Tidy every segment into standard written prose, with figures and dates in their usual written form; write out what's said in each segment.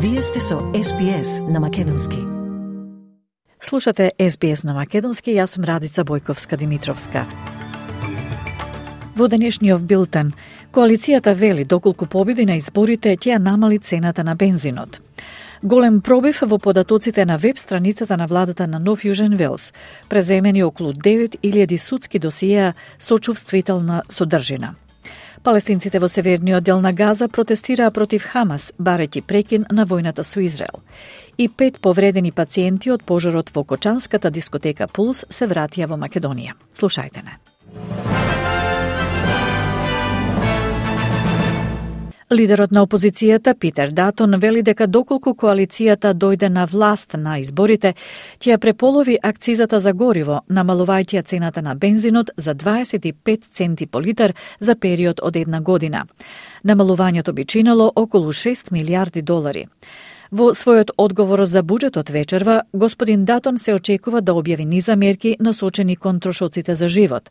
Вие сте со SBS на Македонски. Слушате SBS на Македонски, јас сум Радица Бојковска-Димитровска. Во денешниот билтен, коалицијата вели доколку победи на изборите ќе намали цената на бензинот. Голем пробив во податоците на веб страницата на владата на Нов Јужен Велс, преземени околу 9000 судски досиеа со чувствителна содржина. Палестинците во северниот дел на Газа протестираа против Хамас, барејќи прекин на војната со Израел. И 5 повредени пациенти од пожарот во кочанската дискотека Пулс се вратија во Македонија. Слушајте не. Лидерот на опозицијата Питер Датон вели дека доколку коалицијата дојде на власт на изборите, ќе ја преполови акцизата за гориво, намалувајќи цената на бензинот за 25 центи по литар за период од една година. Намалувањето би чинело околу 6 милиарди долари. Во својот одговор за буџетот вечерва, господин Датон се очекува да објави низа мерки насочени кон трошоците за живот.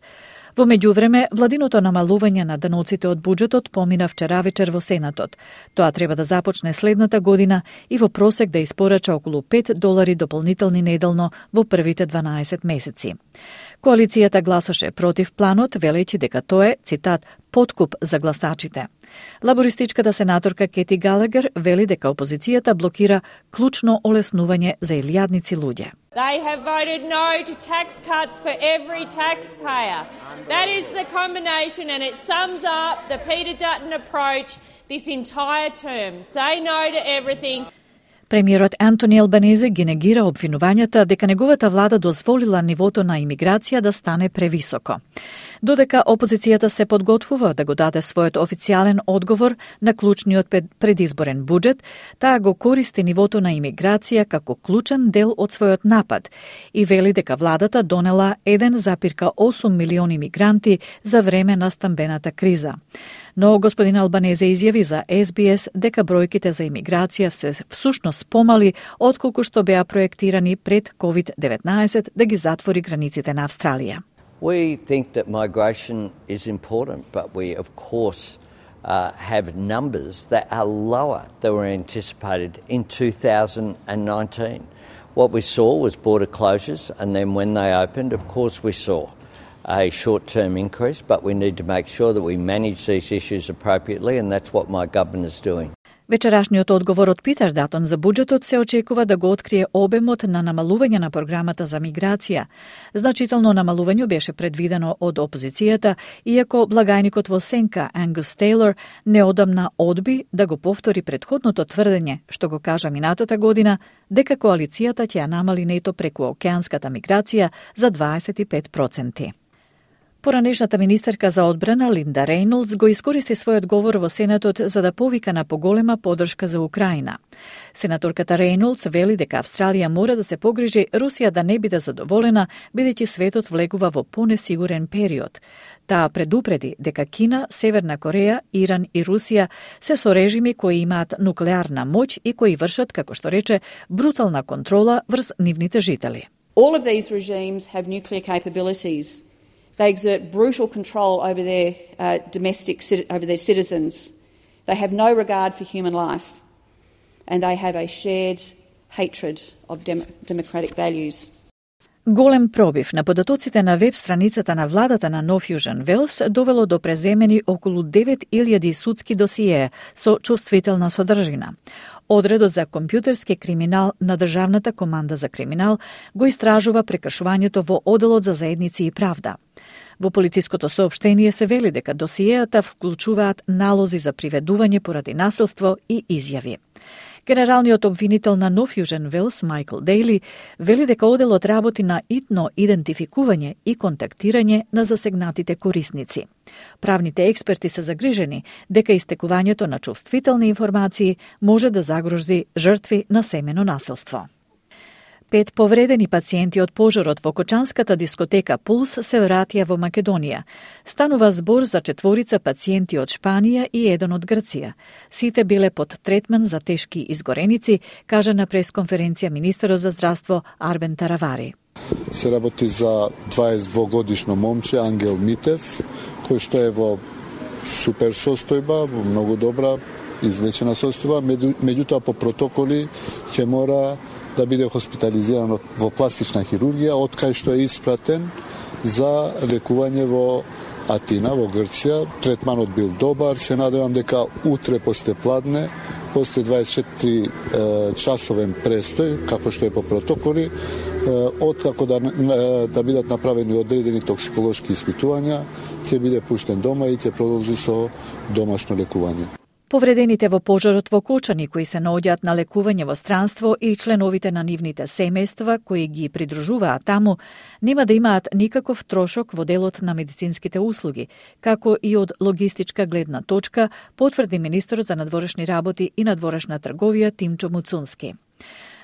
Во меѓувреме, владиното намалување на даноците од буџетот помина вчера вечер во Сенатот. Тоа треба да започне следната година и во просек да испорача околу $5 дополнителни неделно во првите 12 месеци. Коалицијата гласаше против планот, велејќи дека тоа е, цитат, подкуп за гласачите. Лабористичката сенаторка Кети Галагер вели дека опозицијата блокира клучно олеснување за илјадници луѓе. They have voted no to tax cuts for every taxpayer. That is the combination, and it sums up the Peter Dutton approach this entire term. Say no to everything. Премиерот Антони Албанезе ги негира обвинувањата дека неговата влада дозволила нивото на имиграција да стане превисоко. Додека опозицијата се подготвува да го даде својот официјален одговор на клучниот предизборен буџет, таа го користи нивото на имиграција како клучен дел од својот напад и вели дека владата донела 1,8 милиони мигранти за време на стамбената криза. Но господин Албанезе изјави за SBS дека бројките за имиграција се всушност помали отколку што беа проектирани пред COVID-19 да ги затвори границите на Австралија. We think that migration is important, but we of course have numbers that are lower than were anticipated in 2019. What we saw was border closures, and then when they opened, of course we saw a short-term increase, but we need to make sure that we manage these issues appropriately, and that's what my government is doing. Вечерашниот одговор од Питер Датон за буџетот се очекува да го открие обемот на намалување на програмата за миграција. Значително намалување беше предвидено од опозицијата, иако благајникот во сенка Ангус Тейлор неодамна одби да го повтори претходното тврдење, што го кажа минатата година, дека коалицијата ќе ја намали нето преку океанската миграција за 25%. Поранешната министерка за одбрана Линда Рейнолдс го искористи својот говор во Сенатот за да повика на поголема поддршка за Украина. Сенаторката Рейнолдс вели дека Австралија мора да се погрижи Русија да не биде задоволена, бидејќи светот влегува во понесигурен период. Таа предупреди дека Кина, Северна Кореја, Иран и Русија се со режими кои имаат нуклеарна моќ и кои вршат, како што рече, брутална контрола врз нивните жители. All of these regimes have nuclear capabilities. They exert brutal control over their over their citizens. They have no regard for human life, and they have a shared hatred of democratic values. Голем пробив на податоците на веб страницата на владата на Нов Јужен Велс довело до преземени околу 9000 судски досиеа со чувствителна содржина. Одредот за компјутерски криминал на Државната команда за криминал го истражува прекршувањето во Оделот за заедници и правда. Во полициското соопштение се вели дека досиеата вклучуваат налози за приведување поради насилство и изјави. Генералниот обвинител на Нов Јужен Велс, Майкл Дејли, вели дека оделот работи на итно идентификување и контактирање на засегнатите корисници. Правните експерти се загрижени дека истекувањето на чувствителни информации може да загрози жртви на семено насилство. 5 повредени пациенти од пожарот во кочанската дискотека Пулс се вратија во Македонија. Станува збор за 4 пациенти од Шпанија и 1 од Грција. Сите биле под третман за тешки изгореници, кажа на пресконференција министерот за здравство Арбен Таравари. Се работи за 22-годишно момче Ангел Митев, кој што е во супер состојба, во многу добра излечена состојба, меѓутоа по протоколи ќе мора да биде хоспитализиран во пластична хирургија, од кај што е испратен за лекување во Атина, во Грција. Третманот бил добар, се надевам дека утре после пладне, после 24 часовен престој, како што е по протоколи, откако да бидат направени одредени токсиколошки испитувања, ќе биде пуштен дома и ќе продолжи со домашно лекување. Повредените во пожарот во Кочани, кои се наоѓаат на лекување во странство, и членовите на нивните семејства кои ги придружуваат таму, нема да имаат никаков трошок во делот на медицинските услуги, како и од логистичка гледна точка, потврди министерот за надворешни работи и надворешна трговија Тимчо Муцунски.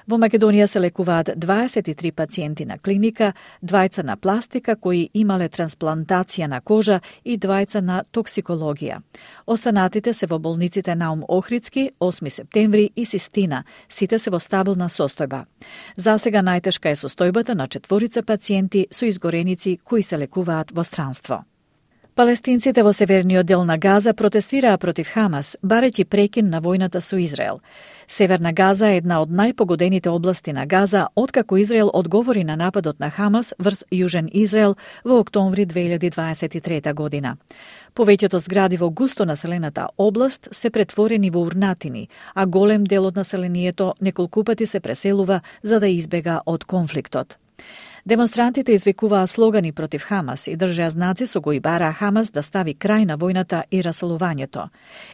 Во Македонија се лекуваат 23 пациенти на клиника, 2 на пластика кои имале трансплантација на кожа и 2 на токсикологија. Останатите се во болниците Наум Охридски, 8 септември и Систина, сите се во стабилна состојба. Засега најтешка е состојбата на 4 пациенти со изгореници кои се лекуваат во странство. Палестинците во северниот дел на Газа протестираа против Хамас, барејќи прекин на војната со Израел. Северна Газа е една од најпогодените области на Газа, откако Израел одговори на нападот на Хамас врз Јужен Израел во октомври 2023 година. Повеќето згради во густо населената област се претворени во урнатини, а голем дел од населението неколку пати се преселува за да избега од конфликтот. Демонстрантите извикуваа слогани против Хамас и држеа знаци со кои бараа Хамас да стави крај на војната и раселувањето.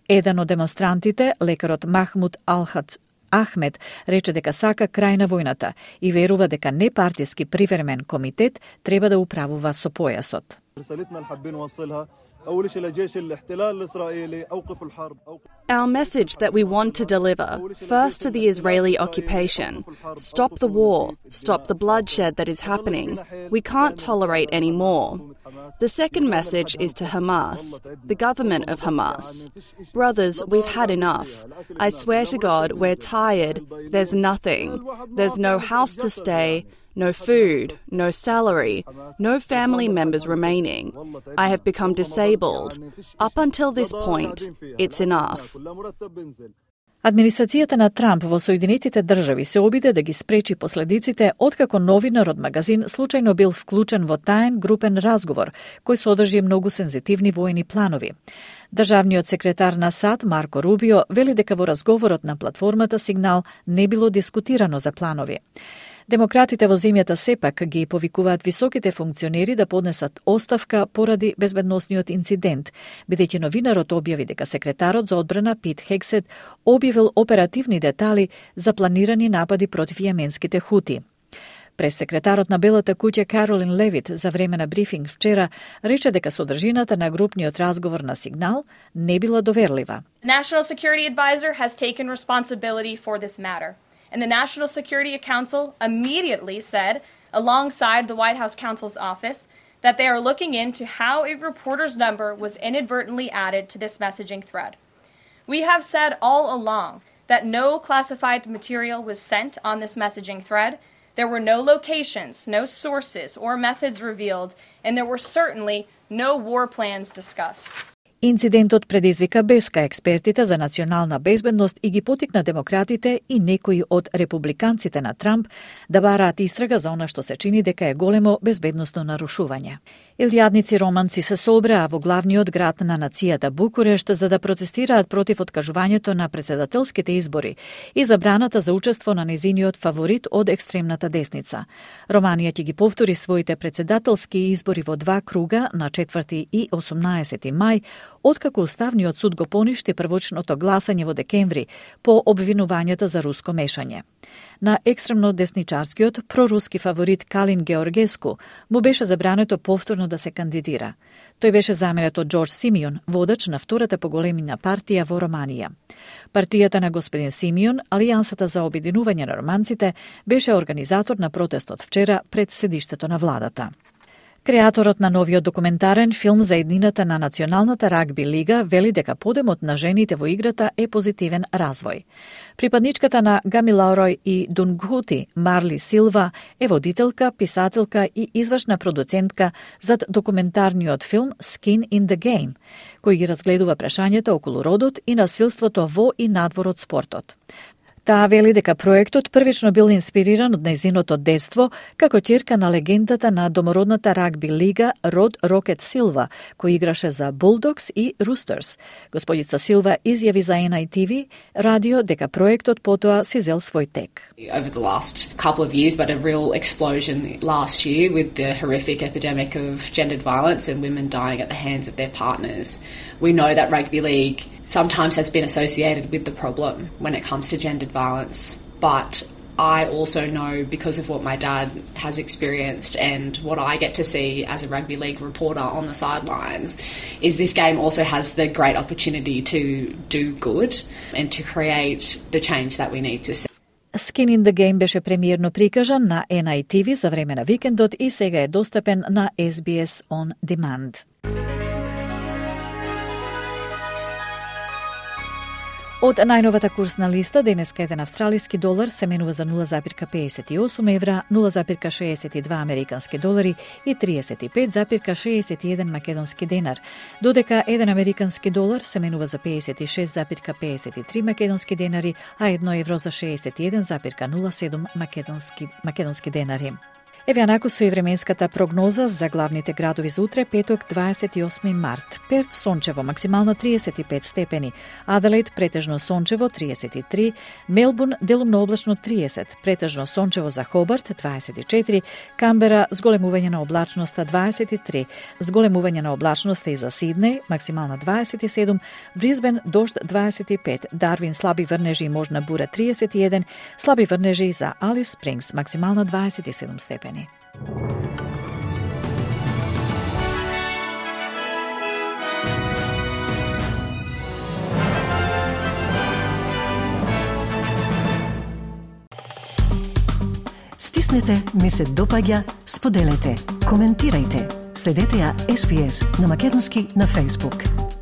Еден од демонстрантите, лекарот Махмуд Алхат Ахмед, рече дека сака крај на војната и верува дека непартиски привремен комитет треба да управува со појасот. Our message that we want to deliver, first to the Israeli occupation, stop the war, stop the bloodshed that is happening. We can't tolerate any more. The second message is to Hamas, the government of Hamas. Brothers, we've had enough. I swear to God, we're tired. There's nothing. There's no house to stay, no food, no salary, no family members remaining. I have become disabled. Up until this point, it's enough. Администрацијата на Трамп во Соединетите држави се обиде да ги спречи последиците откако новинар од магазин случајно бил вклучен во таен групен разговор кој содржи многу сензитивни воени планови. Државниот секретар на САД Марко Рубио вели дека во разговорот на платформата Сигнал не било дискутирано за планови. Демократите во земјата сепак ги повикуваат високите функционери да поднесат оставка поради безбедносниот инцидент, бидејќи новинарот објави дека секретарот за одбрана Пит Хексет објавил оперативни детали за планирани напади против јеменските хути. Прес-секретарот на Белата куќа Каролин Левит за време на брифинг вчера рече дека содржината на групниот разговор на Сигнал не била доверлива. National Security Advisor has taken responsibility for this matter. And the National Security Council immediately said, alongside the White House counsel's office, that they are looking into how a reporter's number was inadvertently added to this messaging thread. We have said all along that no classified material was sent on this messaging thread. There were no locations, no sources or methods revealed, and there were certainly no war plans discussed. Инцидентот предизвика беска експертите за национална безбедност и ги потикна демократите и некои од републиканците на Трамп да бараат истрага за она што се чини дека е големо безбедносно нарушување. Илјадници романци се собраа во главниот град на нацијата Букурешт за да протестираат против откажувањето на претседателските избори и забраната за учество на незиниот фаворит од екстремната десница. Романија ќе ги повтори своите претседателски избори во 2 круга на 4 и 18 мај, откако Уставниот суд го поништи првочното гласање во декември по обвинувањата за руско мешање. На екстремно десничарскиот проруски фаворит Калин Георгеску му беше забрането повторно да се кандидира. Тој беше заменет од Џорџ Симеон, водач на втората по големина партија во Романија. Партијата на господин Симеон, Алијансата за обединување на романците, беше организатор на протестот вчера пред седиштето на владата. Креаторот на новиот документарен филм за еднината на Националната рагби лига вели дека подемот на жените во играта е позитивен развој. Припадничката на Гамилаурој и Дунгхути, Марли Силва, е водителка, писателка и извршна продуцентка зад документарниот филм Skin in the Game, кој ги разгледува прашањата околу родот и насилството во и надвор од спортот. Таа вели дека проектот првично бил инспириран од нејзиното детство како ќерка на легендата на домородната рагби лига Род Рокет Силва, кој играше за Bulldogs и Roosters. Господица Силва изјави за NITV радио дека проектот потоа си зел свој тек. Over the last couple of years, but a real explosion last year with the horrific epidemic of gendered violence and women dying at the hands of their partners. We know that rugby league sometimes has been associated with the problem when it comes to gendered violence, but I also know, because of what my dad has experienced and what I get to see as a rugby league reporter on the sidelines, is this game also has the great opportunity to do good and to create the change that we need to see. Skin in the Game беше премиерно прикажан на NITV за време на викендот и сега е достапен на SBS On Demand. Од најновата курсна листа, денеска еден австралиски долар се менува за 0,58 евра, 0,62 американски долари и 35,61 македонски денар, додека еден американски долар се менува за 56,53 македонски денари, а 1 евро за 61,07 македонски денари. Еве анаку со и временската прогноза за главните градови за утре, петок 28 март. Перт сончево, максимална 35 степени. Аделаид претежно сончево 33, Мелбурн делумно облачно 30, претежно сончево за Хобарт 24, Камбера зголемување на облачноста 23, зголемување на облачноста и за Сиднеј, максимална 27, Брисбен дожд 25, Дарвин слаби врнежи и можна бура 31, слаби врнежи за Алис Спрингс, максимална 27 степени. Стиснете, ми се допаѓа, споделете, коментирајте. Следете ја SPS на Македонски на Facebook.